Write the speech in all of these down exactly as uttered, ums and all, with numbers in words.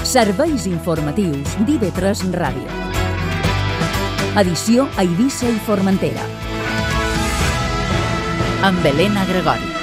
Serveis informatius d'I V tres Ràdio. Edició a Eivissa i Formentera. Amb Helena Gregori.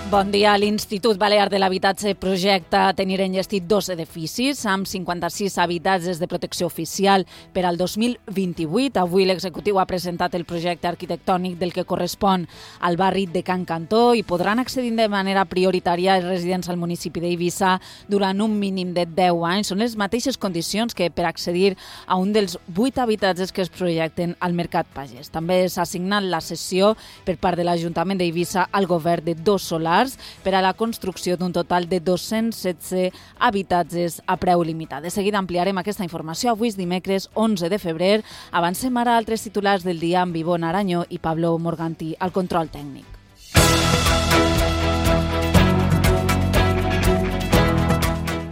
Bon dia. L'Institut Balear de l'Habitatge projecta tenir enllestit dos edificis amb cinquanta-sis habitatges de protecció oficial per al dos mil vint-i-vuit. Avui l'executiu ha presentat el projecte arquitectònic del que correspon al barri de Can Cantó i podran accedir de manera prioritària els residents al municipi d'Eivissa durant un mínim de deu anys. Són les mateixes condicions que per accedir a un dels vuit habitatges que es projecten al Mercat Pagès. També s'ha assignat la cessió per part de l'Ajuntament d'Eivissa al govern de dos solars per a la construcció d'un total de dos-cents setze habitatges a preu limitat. De seguida ampliarem aquesta informació. Avui és dimecres onze de febrer. Avancem ara a altres titulars del dia amb Ivonne Arañó i Pablo Morganti al control tècnic.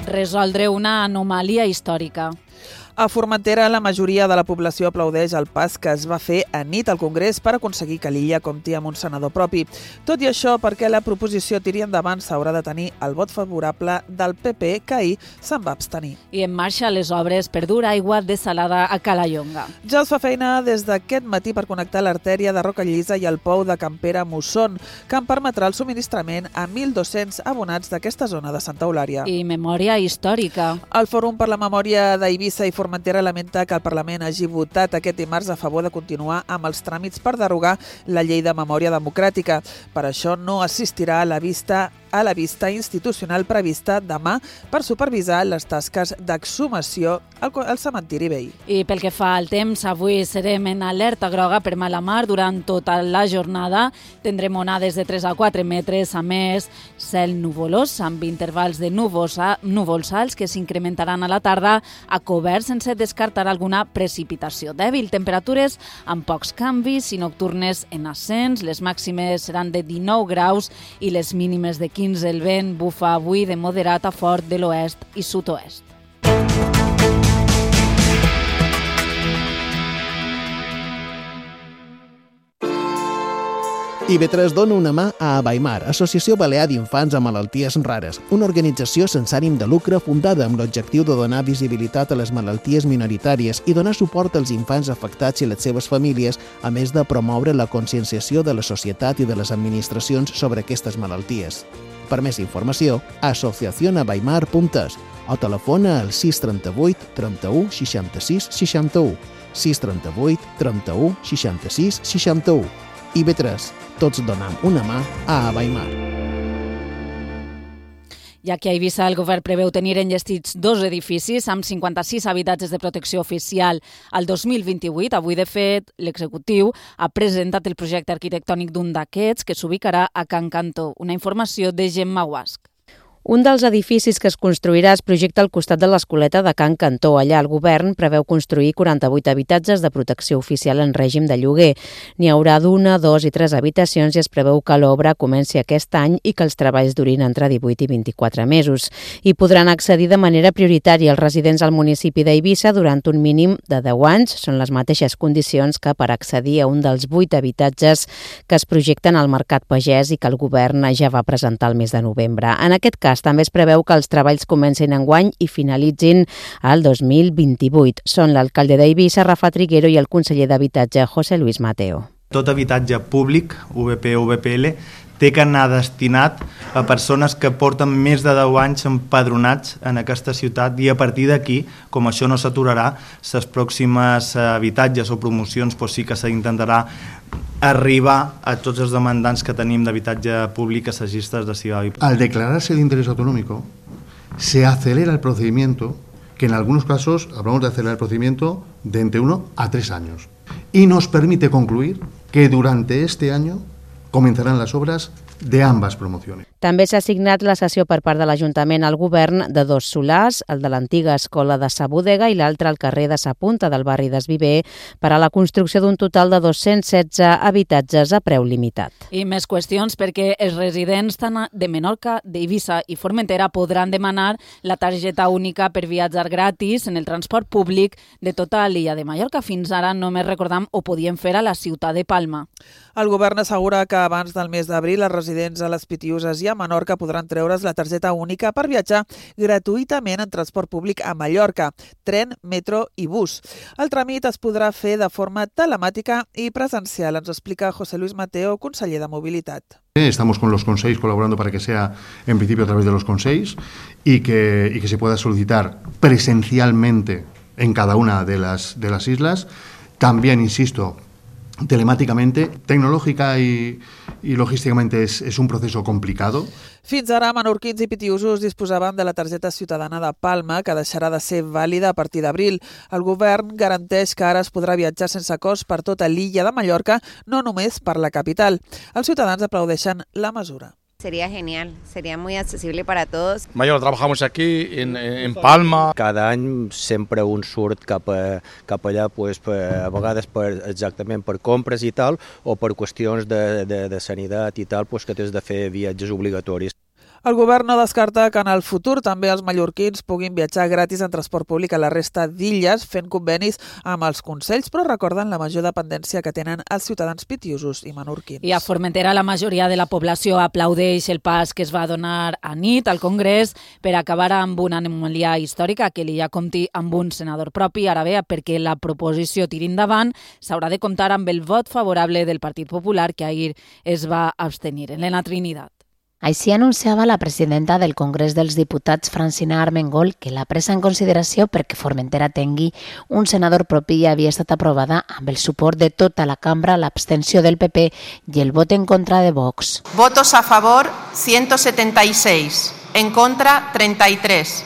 Resoldre una anomalia històrica. A Formentera, la majoria de la població aplaudeix el pas que es va fer a nit al Congrés per aconseguir que l'illa compti amb un senador propi. Tot i això, perquè la proposició tiri endavant, s'haurà de tenir el vot favorable del P P, que ahir se'n va abstenir. I en marxa les obres per dur aigua desalada a Calallonga. Ja es fa feina des d'aquest matí per connectar l'artèria de Rocallisa i el pou de Campera Musson, que en permetrà el subministrament a mil dos-cents abonats d'aquesta zona de Santa Eulària. I memòria històrica. El Fòrum per la Memòria d'Eivissa i Formentera lamenta que el Parlament hagi votat aquest dimarts a favor de continuar amb els tràmits per derogar la llei de memòria democràtica. Per això no assistirà a la vista a la vista institucional prevista demà per supervisar les tasques d'exhumació al, al cementiri vell. I pel que fa al temps, avui serem en alerta groga per mala mar durant tota la jornada. Tindrem onades de tres a quatre metres, a més cel nuvolós amb intervals de núvols, a, núvols alts que s'incrementaran a la tarda a cobert sense descartar alguna precipitació dèbil. Temperatures amb pocs canvis i nocturnes en ascens. Les màximes seran de dinou graus i les mínimes de quinze. El vent bufa avui de moderat a fort de l'oest i sud-oest. I V tres dona una mà a Abaimar, Associació Balear d'Infants amb Malalties Rares, una organització sense ànim de lucre fundada amb l'objectiu de donar visibilitat a les malalties minoritàries i donar suport als infants afectats i les seves famílies, a més de promoure la conscienciació de la societat i de les administracions sobre aquestes malalties. Per més informació, asociación abaimar punt es o telefona al sis trenta-vuit trenta-u seixanta-sis seixanta-u, sis trenta-vuit trenta-u seixanta-sis seixanta-u. I V tres, tots donem una mà a Abaimar. Ja que a Eivissa el govern preveu tenir enllestits dos edificis amb cinquanta-sis habitatges de protecció oficial al dos mil vint-i-vuit, avui de fet l'executiu ha presentat el projecte arquitectònic d'un d'aquests que s'ubicarà a Can Cantó. Una informació de Gemma Guasc. Un dels edificis que es construirà es projecta al costat de l'Escoleta de Can Cantó. Allà el govern preveu construir quaranta-vuit habitatges de protecció oficial en règim de lloguer. N'hi haurà d'una, dos i tres habitacions i es preveu que l'obra comenci aquest any i que els treballs durin entre divuit i vint-i-quatre mesos. Hi podran accedir de manera prioritària els residents al municipi d'Eivissa durant un mínim de deu anys. Són les mateixes condicions que per accedir a un dels vuit habitatges que es projecten al Mercat Pagès i que el govern ja va presentar el mes de novembre. En aquest cas, també es preveu que els treballs comencin enguany i finalitzin al dos mil vint-i-vuit. Són l'alcalde d'Eivissa, Rafa Triguero, i el conseller d'Habitatge, José Luis Mateo. Tot habitatge públic, U V P o U V P L, té que anar destinat a persones que porten més de deu anys empadronats en aquesta ciutat i a partir d'aquí, com això no s'aturarà, les pròximes habitatges o promocions doncs sí que s'intentarà arribar a tots els demandants que tenim d'habitatge públic assaggistes de Ciudad. Al declararse de interés autonómico, se acelera el procedimiento, que en algunos casos hablamos de acelerar el procedimiento de entre uno a tres años. Y nos permite concluir que durante este año comenzarán las obras de ambas promociones. També s'ha assignat la cessió per part de l'Ajuntament al govern de dos solars, el de l'antiga escola de Sa Bodega i l'altre al carrer de Sa Punta del barri d'Esviver, per a la construcció d'un total de dos-cents setze habitatges a preu limitat. I més qüestions perquè els residents tant de Menorca, d'Eivissa i Formentera podran demanar la targeta única per viatjar gratis en el transport públic de tota l'illa de Mallorca. Fins ara només recordam ho podien fer a la ciutat de Palma. El govern assegura que abans del mes d'abril els residents a les Pitiuses i a a Menorca podran treure's la targeta única per viatjar gratuïtament en transport públic a Mallorca, tren, metro i bus. El tràmit es podrà fer de forma telemàtica i presencial, ens explica José Luis Mateo, conseller de Mobilitat. Estamos con los consells colaborando para que sea en principio a través de los consells y que, y que se pueda solicitar presencialmente en cada una de las, de las islas. También, insisto, telemáticamente, tecnológica y, y logísticamente es, es un proceso complicado. Fins ara, menorquins i pitiusos disposaven de la targeta ciutadana de Palma, que deixarà de ser vàlida a partir d'abril. El govern garanteix que ara es podrà viatjar sense cost per tota l'illa de Mallorca, no només per la capital. Els ciutadans aplaudeixen la mesura. Sería genial, sería muy accesible para todos. Mayor, trabajamos aquí en, en Palma. Cada any sempre un surt cap, a, cap allà, pues, per, a vegades per, exactament per compres i tal, o per qüestions de, de, de sanitat i tal, pues, que tens de fer viatges obligatoris. El govern no descarta que en el futur també els mallorquins puguin viatjar gratis en transport públic a la resta d'illes fent convenis amb els consells, però recorden la major dependència que tenen els ciutadans pitiusos i menorquins. I a Formentera la majoria de la població aplaudeix el pas que es va donar a nit al Congrés per acabar amb una anomalia històrica, que l'illa compti amb un senador propi. Ara bé, perquè la proposició tiri endavant, s'haurà de comptar amb el vot favorable del Partit Popular, que ahir es va abstenir. Elena Trinidad. Així anunciava la presidenta del Congrés dels Diputats, Francina Armengol, que la presa en consideració perquè Formentera tingui un senador propi i havia estat aprovada amb el suport de tota la cambra, l'abstenció del P P i el vot en contra de Vox. Votos a favor, ciento setenta y seis. En contra, treinta y tres.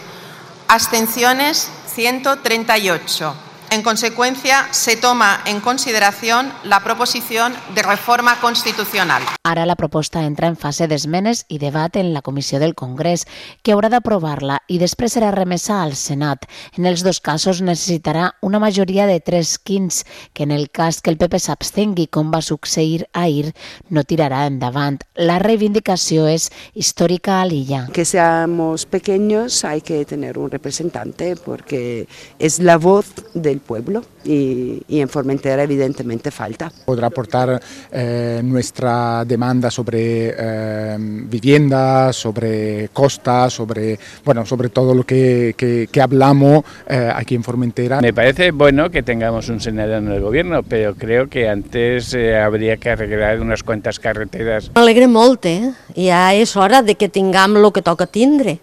Abstenciones, ciento treinta y ocho. En consecuencia, se toma en consideración la proposición de reforma constitucional. Ara la proposta entra en fase d'esmenes i debat en la Comissió del Congrés, que haurà d'aprovar-la i després serà remesa al Senat. En els dos casos necessitarà una majoria de tres quints, que en el cas que el P P s'abstengui, com va succeir ahir, no tirarà endavant. La reivindicació és històrica a l'illa. Que seamos pequeños hay que tener un representante porque es la voz del pueblo y, y en Formentera evidentemente falta. Podrá aportar eh, nuestra demanda sobre eh, vivienda, sobre costa, sobre, bueno, sobre todo lo que, que, que hablamos eh, aquí en Formentera. Me parece bueno que tengamos un senador en el gobierno, pero creo que antes eh, habría que arreglar unas cuantas carreteras. M'alegra molt, eh? Ja és hora de que tinguem el que toca tindre.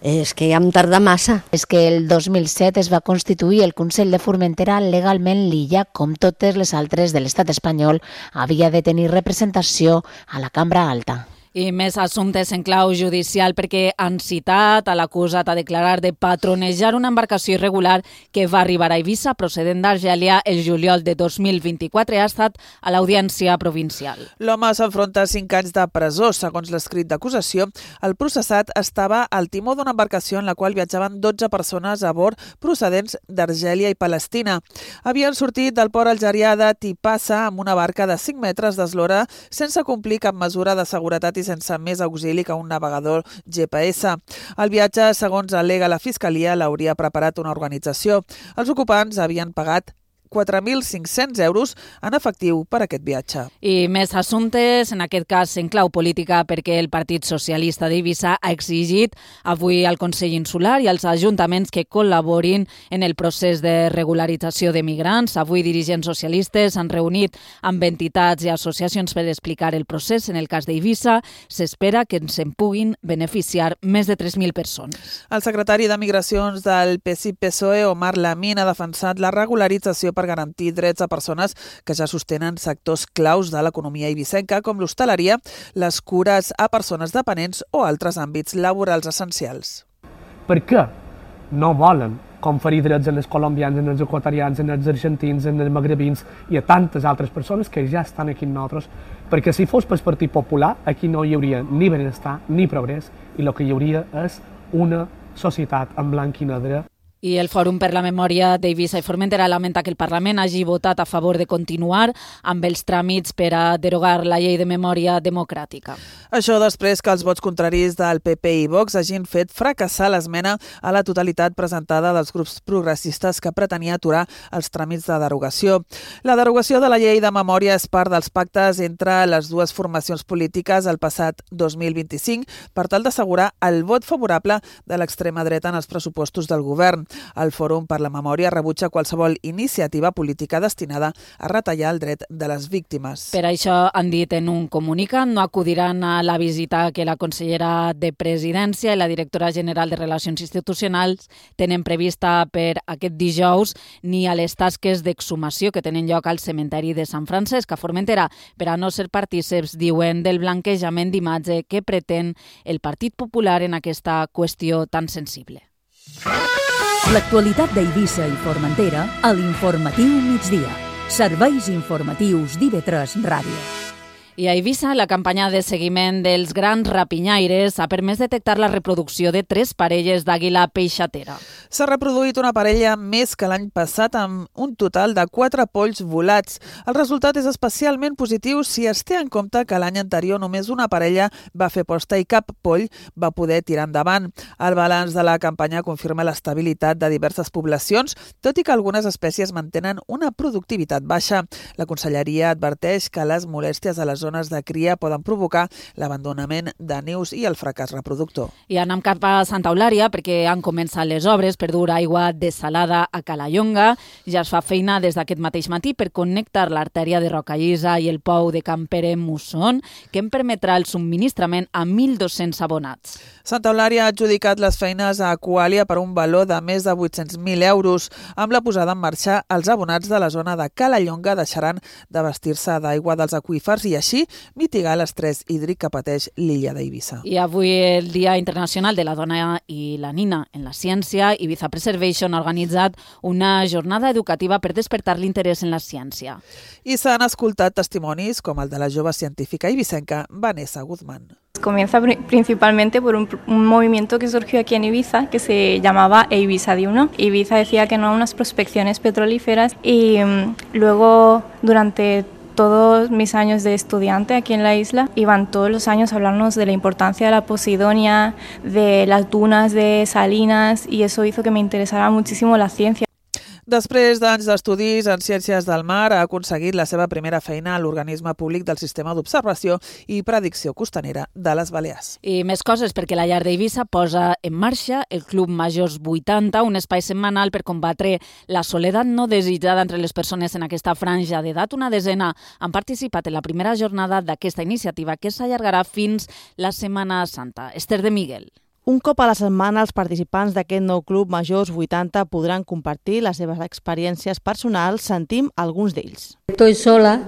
És que ja em tarda massa. És que el dos mil set es va constituir el Consell de Formentera legalment. L'illa, com totes les altres de l'estat espanyol, havia de tenir representació a la Cambra Alta. I més assumptes en clau judicial, perquè han citat a l'acusat a declarar de patronejar una embarcació irregular que va arribar a Eivissa procedent d'Argèlia el juliol de dos mil vint-i-quatre. Ha estat a l'Audiència Provincial. L'home s'enfronta a cinc anys de presó. Segons l'escrit d'acusació, el processat estava al timó d'una embarcació en la qual viatjaven dotze persones a bord procedents d'Argèlia i Palestina. Havien sortit del port algerià de Tipassa amb una barca de cinc metres d'eslora sense complir cap mesura de seguretat i sense més auxili que un navegador G P S. El viatge, segons al·lega la Fiscalia, l'hauria preparat una organització. Els ocupants havien pagat quatre mil cinc-cents euros en efectiu per aquest viatge. I més assumptes, en aquest cas en clau política, perquè el Partit Socialista d'Eivissa ha exigit avui al Consell Insular i als ajuntaments que col·laborin en el procés de regularització de migrants. Avui dirigents socialistes han reunit amb entitats i associacions per explicar el procés. En el cas d'Eivissa, s'espera que se'n puguin beneficiar més de tres mil persones. El secretari de Migracions del P S I P S O E, Omar Lamin, ha defensat la regularització per garantir drets a persones que ja sostenen sectors claus de l'economia eivissenca, com l'hostaleria, les cures a persones dependents o altres àmbits laborals essencials. Per què no volen conferir drets en els colombians, en els equatorians, en els argentins, en els magrebins i a tantes altres persones que ja estan aquí amb nosaltres? Perquè si fos pel Partit Popular, aquí no hi hauria ni benestar ni progrés i el que hi hauria és una societat en blanc i negre. I el Fòrum per la Memòria d'Eivissa i Formentera lamenta que el Parlament hagi votat a favor de continuar amb els tràmits per a derogar la llei de memòria democràtica. Això després que els vots contraris del P P i Vox hagin fet fracassar l'esmena a la totalitat presentada dels grups progressistes que pretenia aturar els tràmits de derogació. La derogació de la llei de memòria és part dels pactes entre les dues formacions polítiques el passat dos mil vint-i-cinc per tal d'assegurar el vot favorable de l'extrema dreta en els pressupostos del govern. El Fòrum per la Memòria rebutja qualsevol iniciativa política destinada a retallar el dret de les víctimes. Per això han dit en un comunicat, no acudiran a la visita que la consellera de Presidència i la directora general de Relacions Institucionals tenen prevista per aquest dijous ni a les tasques d'exhumació que tenen lloc al cementeri de Sant Francesc a Formentera, per a no ser partíceps, diuen, del blanquejament d'imatge que pretén el Partit Popular en aquesta qüestió tan sensible. L'actualitat d'Eivissa i Formentera a l'Informatiu Migdia. Serveis informatius d'I V tres Ràdio. I a Eivissa, la campanya de seguiment dels grans rapinyaires ha permès detectar la reproducció de tres parelles d'àguila peixatera. S'ha reproduït una parella més que l'any passat amb un total de quatre polls volats. El resultat és especialment positiu si es té en compte que l'any anterior només una parella va fer posta i cap poll va poder tirar endavant. El balanç de la campanya confirma l'estabilitat de diverses poblacions, tot i que algunes espècies mantenen una productivitat baixa. La Conselleria adverteix que les molèsties a les zones de cria poden provocar l'abandonament de nius i el fracàs reproductor. I anem cap a Santa Eulària perquè han començat les obres per dur aigua desalada a Calallonga. Ja es fa feina des d'aquest mateix matí per connectar l'artèria de Rocallisa i el pou de Campere-Musson, que en permetrà el subministrament a mil dos-cents abonats. Santa Eulària ha adjudicat les feines a Aqualia per un valor de més de vuit-cents mil euros. Amb la posada en marxa, els abonats de la zona de Calallonga deixaran d'abastir-se d'aigua dels aqüífers i així mitigar l'estrès hídric que pateix l'illa d'Eivissa. I avui el Dia Internacional de la Dona i la Nina en la Ciència, Ibiza Preservation ha organitzat una jornada educativa per despertar l'interès en la ciència. I s'han escoltat testimonis com el de la jove científica ibicenca Vanessa Guzmán. Comienza principalmente por un, un movimiento que surgió aquí en Ibiza que se llamaba Ibiza de uno. Ibiza decía que no a unas prospecciones petrolíferas y um, luego durante todos mis años de estudiante aquí en la isla iban todos los años a hablarnos de la importancia de la Posidonia, de las dunas de Salinas y eso hizo que me interesara muchísimo la ciencia. Després d'anys d'estudis en ciències del mar, ha aconseguit la seva primera feina a l'organisme públic del Sistema d'Observació i Predicció Costanera de les Balears. I més coses, perquè la llar d'Eivissa posa en marxa el Club Majors vuitanta, un espai setmanal per combatre la soledat no desitjada entre les persones en aquesta franja d'edat. Una desena han participat en la primera jornada d'aquesta iniciativa que s'allargarà fins la Setmana Santa. Esther de Miguel. Un cop a la setmana, els participants d'aquest nou Club Majors vuitanta podran compartir les seves experiències personals. Sentim alguns d'ells. Estoy sola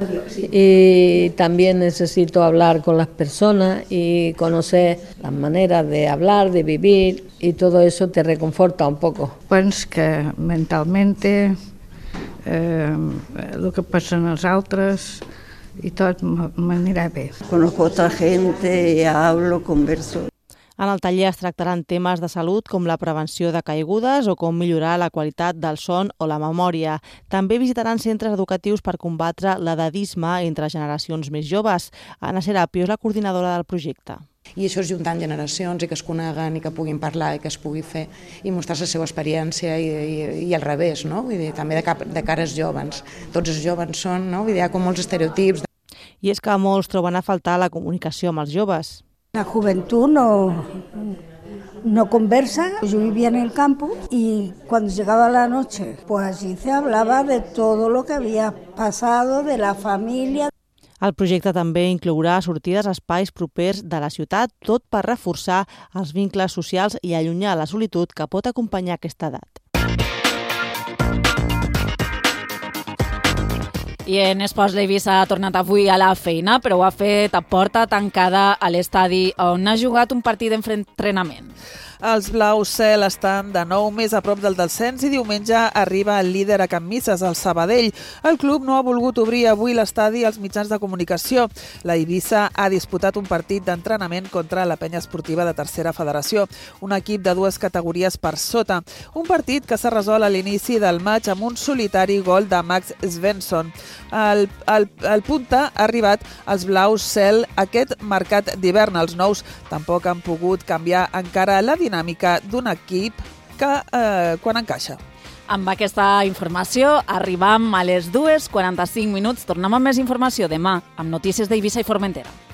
y también necesito hablar con las personas y conocer las maneras de hablar, de vivir y todo eso te reconforta un poco. Penso que mentalmente eh, el que passa en els altres y tot m'anirà bé. Conozco a otra gente, hablo, converso. En el taller es tractaran temes de salut com la prevenció de caigudes o com millorar la qualitat del son o la memòria. També visitaran centres educatius per combatre l'edadisme entre generacions més joves. Anna Serapio és la coordinadora del projecte. I això és juntant generacions i que es coneguen i que puguin parlar i que es pugui fer i mostrar la seva experiència i, i, i al revés, no? Vull dir, també de, cap, de cares jovens. Tots els jovens són, no? Vull dir, hi ha com molts estereotips. I és que molts troben a faltar la comunicació amb els joves. La juventud no, no conversa. Yo vivía en el campo y cuando llegaba la noche, pues allí se hablaba de todo lo que había pasado, de la familia. El projecte també inclourà sortides a espais propers de la ciutat, tot per reforçar els vincles socials i allunyar la solitud que pot acompanyar aquesta edat. I en esports, l'Eivissa ha tornat avui a la feina, però ho ha fet a porta tancada a l'estadi on ha jugat un partit d'entrenament. Els blaus cel estan de nou més a prop del descens i diumenge arriba el líder a Can Misses, el Sabadell. El club no ha volgut obrir avui l'estadi als mitjans de comunicació. La Eivissa ha disputat un partit d'entrenament contra la penya esportiva de tercera federació, un equip de dues categories per sota. Un partit que s'ha resolt a l'inici del maig amb un solitari gol de Max Svensson. El, el, el punta ha arribat als blaus cel aquest mercat d'hivern. Els nous tampoc han pogut canviar encara la dinàmica d'un equip que eh, quan encaixa. Amb aquesta informació arribam a les dues i quaranta-cinc minuts. Tornem amb més informació demà amb notícies d'Eivissa i Formentera.